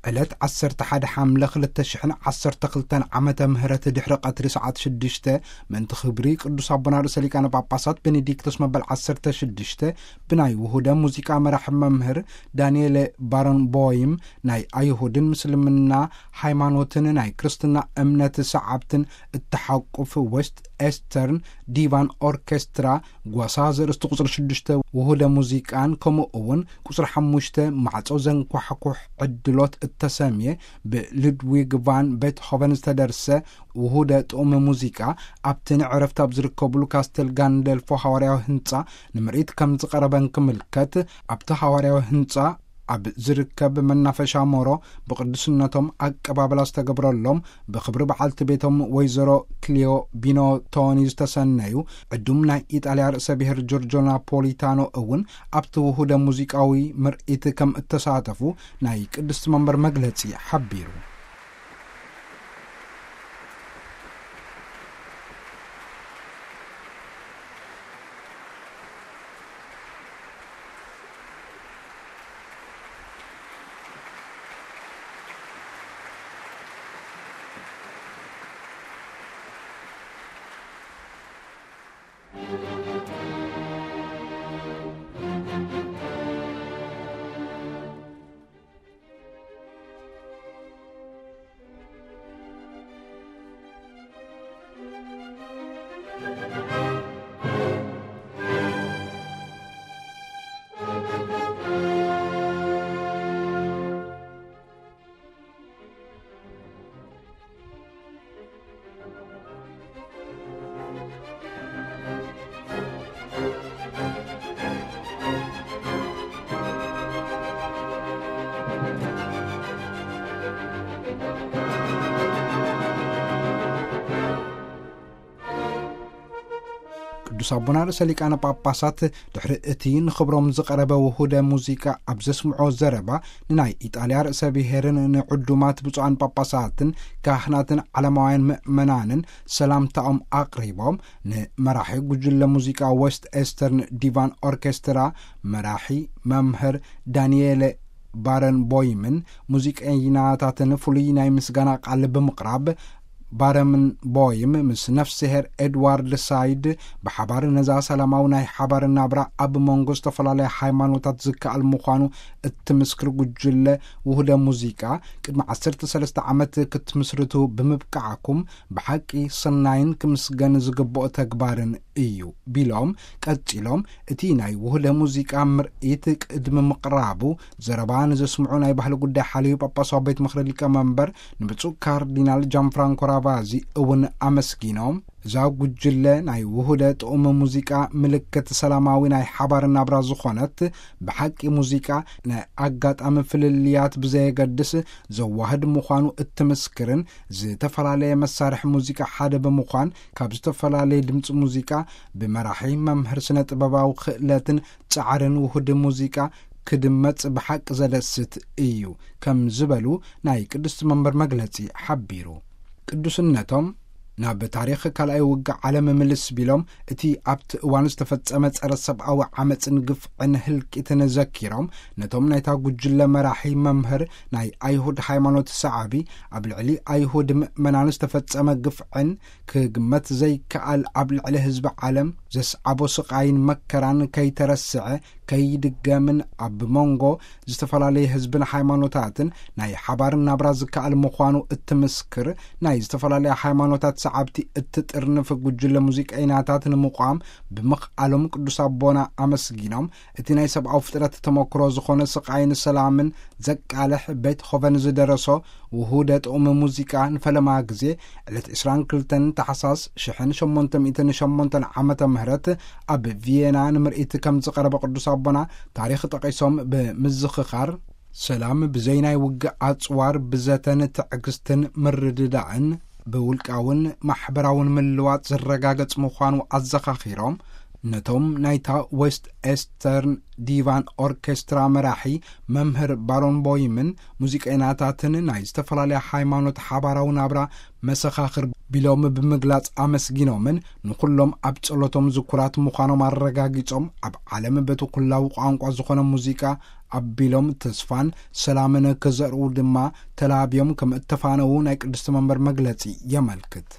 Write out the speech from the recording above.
ዕለት ዓሰርተ ሓደ ሓምለ ክልተ ሽሕን ዓሰርተ ክልተን ዓመተ ምህረት ድሕሪ ቀትሪ ሰዓት ሽዱሽተ፣ ምእንቲ ክብሪ ቅዱስ ኣቦና ርእሰ ሊቃነ ጳጳሳት ቤኔዲክቶስ መበል ዓሰርተ ሽዱሽተ፣ ብናይ ውሁደ ሙዚቃ መራሒ መምህር ዳንኤል ባረንቦይም፣ ናይ ኣይሁድን ምስልምና ሃይማኖትን ናይ ክርስትና እምነት ሰዓብትን እተሓቁፍ ዌስት ኤስተርን ዲቫን ኦርኬስትራ፣ ጓሳ ዘርእስቲ ቁጽሪ ሽዱሽተ ውሁደ ሙዚቃን፣ ከምኡ እውን ቁጽሪ ሓሙሽተ ማዕጾ ዘንኳሕኩሕ ዕድሎት እተሰምየ ብሉድዊግ ቫን ቤትሆቨን ዝተደርሰ ውሁደ ጥዑም ሙዚቃ፣ ኣብቲ ንዕረፍቲ ኣብ ዝርከብሉ ካስተል ጋንደልፎ ሃዋርያዊ ህንጻ ንምርኢት ከም ዝቐረበን ክምልከት፣ ኣብቲ ሃዋርያዊ ህንጻ ኣብ ዝርከብ መናፈሻ ሞሮ ብቅዱስነቶም ኣቀባብላ ዝተገብረሎም፣ ብኽብሪ በዓልቲ ቤቶም ወይዘሮ ክሊዮ ቢኖቶኒ ዝተሰነዩ ዕዱም ናይ ኢጣልያ ርእሰ ብሔር ጆርጆ ናፖሊታኖ እውን ኣብቲ ውሁደ ሙዚቃዊ ምርኢት ከም እተሳተፉ ናይ ቅድስቲ መንበር መግለጺ ሓቢሩ። ቅዱስ ኣቦና ርእሰ ሊቃነ ጳጳሳት ድሕሪ እቲ ንኽብሮም ዝቐረበ ውሁደ ሙዚቃ ኣብ ዘስምዖ ዘረባ፣ ንናይ ኢጣልያ ርእሰ ብሔርን ንዕዱማት ብፁዓን ጳጳሳትን ካህናትን ዓለማውያን ምእመናንን ሰላምታኦም ኣቕሪቦም፣ ንመራሒ ጉጅለ ሙዚቃ ዌስት ኤስተርን ዲቫን ኦርኬስትራ መራሒ መምህር ዳንኤለ ባረንቦይምን ሙዚቀኛታትን ፍሉይ ናይ ምስጋና ቃል ብምቕራብ፣ ባረንቦይም ምስ ነፍስሄር ኤድዋርድ ሳይድ ብሓባር ነዛ ሰላማዊ ናይ ሓባር ናብራ ኣብ መንጎ ዝተፈላለያ ሃይማኖታት ዝከኣል ምዃኑ እትምስክር ጉጅለ ውህደ ሙዚቃ፣ ቅድሚ ዓሰርተ ሰለስተ ዓመት ክትምስርቱ ብምብቃዕኩም ብሓቂ ሰናይን ክምስገን ዝግብኦ ተግባርን እዩ ቢሎም፣ ቀጺሎም፣ እቲ ናይ ውህደ ሙዚቃ ምርኢት ቅድሚ ምቕራቡ ዘረባ ንዘስምዑ ናይ ባህሊ ጉዳይ ሓልዩ ጳጳሳዊ ቤት ምኽሪ ሊቀ መንበር ንብፁዕ ካርዲናል ጃን ፍራንኮ ራቫዚ እውን ኣመስጊኖም፣ እዛ ጉጅለ ናይ ውህደ ጥዑም ሙዚቃ ምልክት ሰላማዊ ናይ ሓባር ናብራ ዝኾነት፣ ብሓቂ ሙዚቃ ናይ ኣጋጣሚ ፍልልያት ብዘየገድስ ዘዋህድ ምዃኑ እትምስክርን፣ ዝተፈላለየ መሳርሒ ሙዚቃ ሓደ ብምዃን ካብ ዝተፈላለየ ድምፂ ሙዚቃ ብመራሒ መምህር ስነ ጥበባዊ ክእለትን ጻዕርን ውህድ ሙዚቃ ክድመጽ ብሓቂ ዘደስት እዩ ከም ዝበሉ ናይ ቅድስቲ መንበር መግለጺ ሓቢሩ። ቅዱስነቶም ናብ ታሪኽ ካልኣይ ውግእ ዓለም ምልስ ቢሎም፣ እቲ ኣብቲ እዋን ዝተፈጸመ ጸረ ሰብኣዊ ዓመጽን ግፍዕን ህልቂትን ዘኪሮም፣ ነቶም ናይታ ጉጅለ መራሒ መምህር ናይ ኣይሁድ ሃይማኖት ሰዓቢ ኣብ ልዕሊ ኣይሁድ ምእመናን ዝተፈጸመ ግፍዕን ክግመት ዘይከኣል ኣብ ልዕሊ ህዝቢ ዓለም ዘስዓቦ ስቓይን መከራን ከይተረስዐ ከይድገምን ኣብ መንጎ ዝተፈላለየ ህዝብን ሃይማኖታትን ናይ ሓባር ናብራ ዝከኣል ምዃኑ እትምስክር ናይ ዝተፈላለያ ሃይማኖታት ሰዓብቲ እትጥርንፍ ጉጅለ ሙዚቀኛታት ንምቋም ብምኽኣሎም ቅዱስ ኣቦና ኣመስጊኖም፣ እቲ ናይ ሰብኣዊ ፍጥረት ተመክሮ ዝኾነ ስቓይን ሰላምን ዘቃልሕ ቤትሆቨን ዝደረሶ ውሁደ ጥዑም ሙዚቃ ንፈለማ ግዜ ዕለት ዕስራን ክልተን ታሕሳስ ሽሕን ሸሞንተ ሚእትን ሸሞንተን ዓመተ ምህረት ኣብ ቪየና ንምርኢት ከም ዝቐረበ ቅዱስ ኣቦና ታሪኽ ጠቒሶም ብምዝኽኻር፣ ሰላም ብዘይ ናይ ውግእ ኣጽዋር ብዘተን ትዕግስትን ምርድዳእን ብውልቃውን ማሕበራውን ምልዋጥ ዝረጋገጽ ምዃኑ ኣዘኻኺሮም፣ ነቶም ናይታ ዌስት ኤስተርን ዲቫን ኦርኬስትራ መራሒ መምህር ባሮን ቦይምን ሙዚቀኛታትን ናይ ዝተፈላለያ ሃይማኖት ሓባራዊ ናብራ መሰኻኽር ቢሎም ብምግላጽ ኣመስጊኖምን ንኹሎም ኣብ ጸሎቶም ዝኩራት ምዃኖም ኣረጋጊጾም፣ ኣብ ዓለም በቲ ኩላዊ ቋንቋ ዝኾነ ሙዚቃ ኣቢሎም ተስፋን ሰላምን ክዘርኡ ድማ ተላብዮም ከም እተፋነዉ ናይ ቅድስቲ መንበር መግለጺ የመልክት።